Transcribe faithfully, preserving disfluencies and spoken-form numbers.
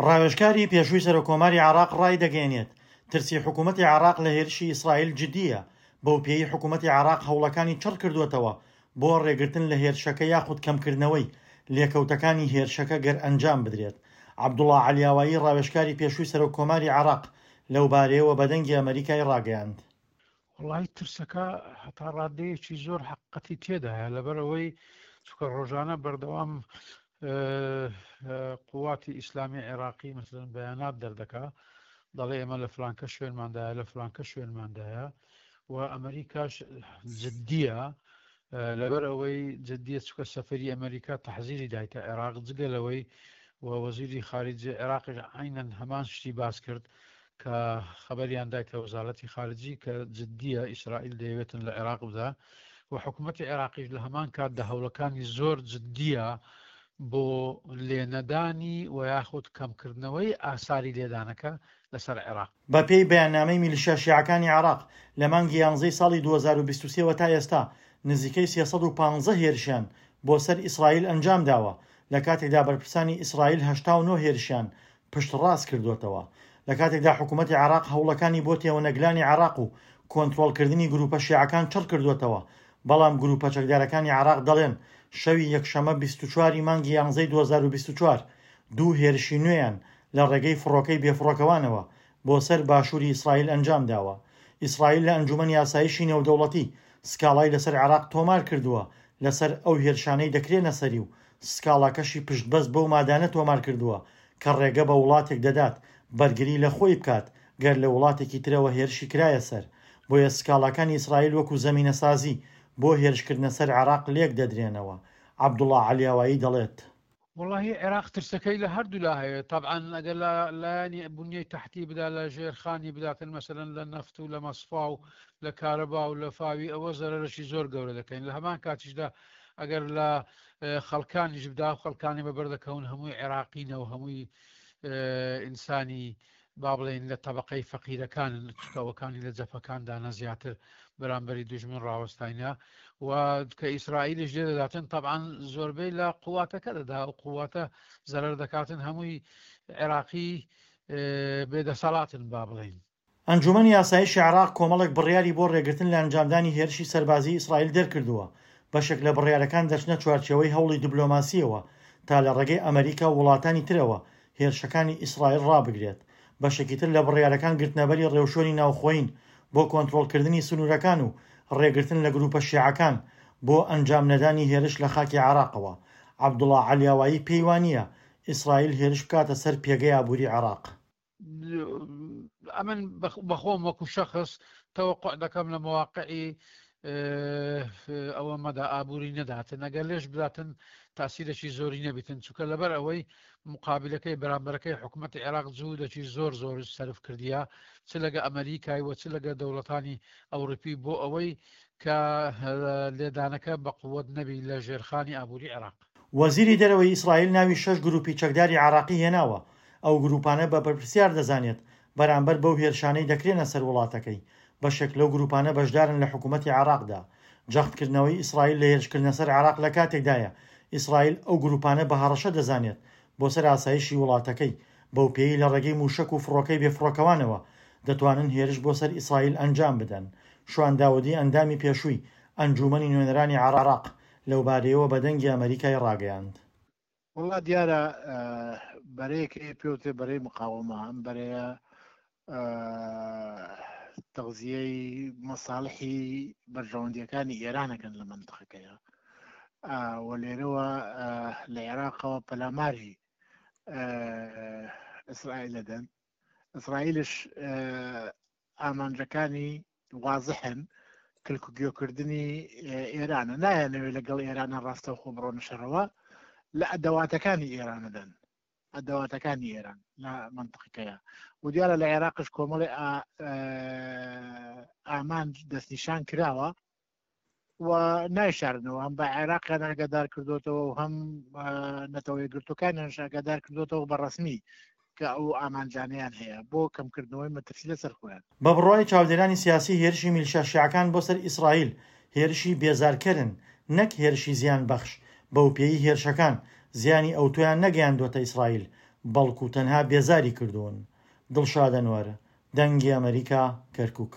ڕاوێژکاری پێشووی سەرۆککۆماری عێراق ڕایدەگەیەنێت، ترسی حکوومەتی عێراق لە هێرشی ئیسرائیل جدییە، بەوپێیەی حکوومەتی عێراق هەوڵەکانی چڕکردووەتەوە بۆ ڕێگرتن لە هێرشەکە یاخود کەمکردنەوەی لێکەوتەکانی هێرشەکە گەر ئەنجام بدرێت. عەبدوڵا عەلیاوایی ڕاوێژکاری پێشووی سەرۆککۆماری عێراق لەوبارەیەوە بە دەنگی ئەمەریکای ڕاگەیاند. وەڵاهی ترسەکە هەتا ڕادەیەکی زۆر حەقیقەتی تێدایە، لەبەرئەوەی چونکە ڕۆژانە بەردەوام قوواتی ئیسلامی عێراقی مەسەلەن بەیانات دەردەکا دەڵێ ئێمە لە فلانکە شوێنماندایە لە فلانکە شوێنماندایە و ئەمریکاش جددیە لەبەر ئەوەی جددیە چکە سەفەری ئەمریکا تەحزیری دایتە عێراق جگە لەوەی و وەزیری خارجی عێراقیش عینەن هەمان شتی باس کرد کە خەبەریان دایتە وەزارەتی خارجی کە جددیە ئیسرائیل دەیەوێتن لە عێراق بدا و حکوومەتی عێراقیش لە هەمان کاتدا هەوڵەکانی زۆر جددیە بۆ لێنەدانی و یاخود کەمکردنەوەی ئاساری لێدانەکە لەسەر عێراق. بەپێی بەیاننامەی میلیشیا شیعەکانی عێراق، لە مانگی یانزەی ساڵی دوو هەزار و بیست و سێ وە تا ئێستا نزیکەی سێ سەد و پازدە هێرشیان بۆ سەر ئیسرائیل ئەنجامداوە، لە کاتێکدا بەرپرسانی ئیسرائیل هەشتا و نۆ هێرشیان پشتڕاست کردووەتەوە. لە کاتێکدا حکوومەتی عێراق هەوڵەکانی بۆ تێوەنەگلانی عێراق و کۆنترۆڵکردنی گرووپە شیعەکان چڕ کردووەتەوە، بەڵام گرووپە چەکدارەکانی عێراق دەڵێن شەوی یەکشەممە بیست و چوار ی مانگی یانزەی دوو هەزار و بیست و چوار دوو هێرشی نوێیان لە ڕێگەی فڕۆکەی بێفڕۆکەوانەوە بۆ سەر باشووری ئیسرائیل ئەنجامداوە. ئیسرائیل لە ئەنجوومەنی ئاسایشی نێودەوڵەتی سکاڵای لەسەر عێراق تۆمار کردووە لەسەر ئەو هێرشانەی دەکرێنە سەری و سکاڵاکەشی پشتبەست بەو مادانە تۆمار کردووە کە ڕێگە بە وڵاتێک دەدات بەرگری لە خۆی بکات گەر لە وڵاتێکی ترەوە هێرشی کرایە سەر، بۆیە سکاڵاکانی ئیسرائیل وەکو زەمینەسازی بۆ هێرشکردنە سەر عێراق لێکدەدرێنەوە. عەبدوڵا عەلیاوایی دەڵێت. وەڵاهی عێراق ترسەکەی لە هەردوولا هەیە، تەبعەن ئەگەر لە لایەنی بونیەی تەحتی بدا لە ژێرخانی بداتن مەسەلەن لە نەفت و لە مەسفا و لە کارەبا و لە فاوی ئەوە زەرەرەکی زۆر گەورە دەکەین، لە هەمان کاتیشدا ئەگەر لە خەڵکانیش بدا و خەڵکانی بەبەر دەکەون هەمووی عێراقینە و هەمووی ئینسانی با بڵێین لە تەبەقەی فەقیرەکانن چونکە ئەوەکانی لە جەپەکاندانە زیاتر بەرامبەری دوژمن ڕاوەستاینە و کە ئیسرائیلیش لێ دەداتن تەبعەن زۆربەی لە قواتەکە دەدا و قواتە زەرەر دەکاتن هەمووی عێراقی بێدەسەڵاتن با بڵێین. ئەنجومەنی ئاسایشی عێراق کۆمەڵێک بڕیاری بۆ ڕێگرتن لە ئەنجامدانی هێرشی سەربازیی ئیسرائیل دەرکردووە، بەشێک لە بڕیارەکان دەچنە چوارچێوەی هەوڵی دبلۆماسییەوە تا لە ڕێگەی ئەمەریکا و وڵاتانی ترەوە هێرشەکانی ئیسرائیل ڕابگرێت، بەشێکی تر لە بڕیارەکان گرتنەبەری ڕێوشوێنی ناوخۆیین بۆ کۆنترۆڵکردنی سنوورەکان و ڕێگرتن لە گروپە شیعەکان بۆ ئەنجام نەدانی هێرش لە خاکی عێراقەوە. عەبدوڵا عەلیاوایی پێی وانییە ئیسرائیل هێرش بکاتە سەر پێگەی ئابووری عێراق. ئەمن بەخۆم وەکو شەخس تەوەقع دەکەم لە مواقعی ئەوە مەدا ئابووری نەداتن ئەگەر لێش بداتن تاسیرێکی زۆری نەبیتن چونکە لەبەر ئەوەی مقابلەکەی بەرامبەرەکەی حکوومەتی عێراق جوودەکی زۆر زۆر سەرف کردیە چ لەگە ئەمریکای و چ لەگە دەوڵەتانی ئەوروپی بۆ ئەوەی کە لێدانەکە بە قووەت نەبی لە ژێرخانی ئابووری عێراق. وەزیری دەرەوەی ئیسرائیل ناوی شەش گروپی چەکداری عێراقی هێناوە، ئەو گروپانە بە بەرپرسیار دەزانێت بەرامبەر بەو هێرشانەی دەکرێنە سەر وڵاتەکەی، بەشێک لەو گروپانە بەشدارن لە حکومەتی عێراقدا. جەختکردنەوەی ئیسرائیل لە هێرشکردنە سەر عێراق لە کاتێکدایە، ئیسرائیل ئەو گروپانە بە هەڕەشە دەزانێت بۆ سەر ئاسایشی وڵاتەکەی، بەوپێیەی لە ڕێگەی موشەک و فڕۆکەی بێفڕۆکەوانەوە دەتوانن هێرش بۆ سەر ئیسرائیل ئەنجام بدەن. شوان داودی ئەندامی پێشووی ئەنجوومەنی نوێنەرانی عێراق لەوبارەیەوە بە دەنگی ئەمەریکای ڕاگەیاند. وەڵا دیارە بەرەیەک هەیە پێوترێ بەرەی مقاومە، ئەم بەرەیە تەغزیەی مەساڵحی بەرژەوەندیەکانی ئێرانەکەن لە مەنتقەکەیە و لێرەوە لە عێراقەوە پەلاماری ئیسرائیل دەدەن. ئیسرائیلش ئامانجەکانی وازحن، کلک و گوێکردنی ئێرانە، نایانەوێت لەگەڵ ئێرانە ڕاستەوخۆ بڕۆنە شەڕەوە، لە ئەدەواتەکانی ئێرانەدەن، ئەدەواتەکانی ئێران لە منطقەکەیە. و دیارە لە عێراقش کۆمەڵی ئامانج دەستنیشان کراوە و نایشارنەوە، هەم بە عێراقیان ئاگادار کردوتەوە و هەم نەتەوە یەکگرتووەکانیان ئاگادار کردوتەوە بە ڕەسمی کە ئەو ئامانجانەیان هەیە بۆ کەمکردنەوەی مەترسی لەسەر خۆیان. بە بڕوای چاودێرانی سیاسی هێرشی میلشیا شیعەکان بۆ سەر ئیسرائیل هێرشی بێزارکەرن نەک هێرشی زیان بەخش، بەوپێیەی هێرشەکان زیانی ئەوتۆیان نەگەیاندووەتە ئیسرائیل، بەڵکو تەنها بێزاری کردوون. دڵشاد ئەنوەر، دەنگی ئەمەریکا، کەرکوک.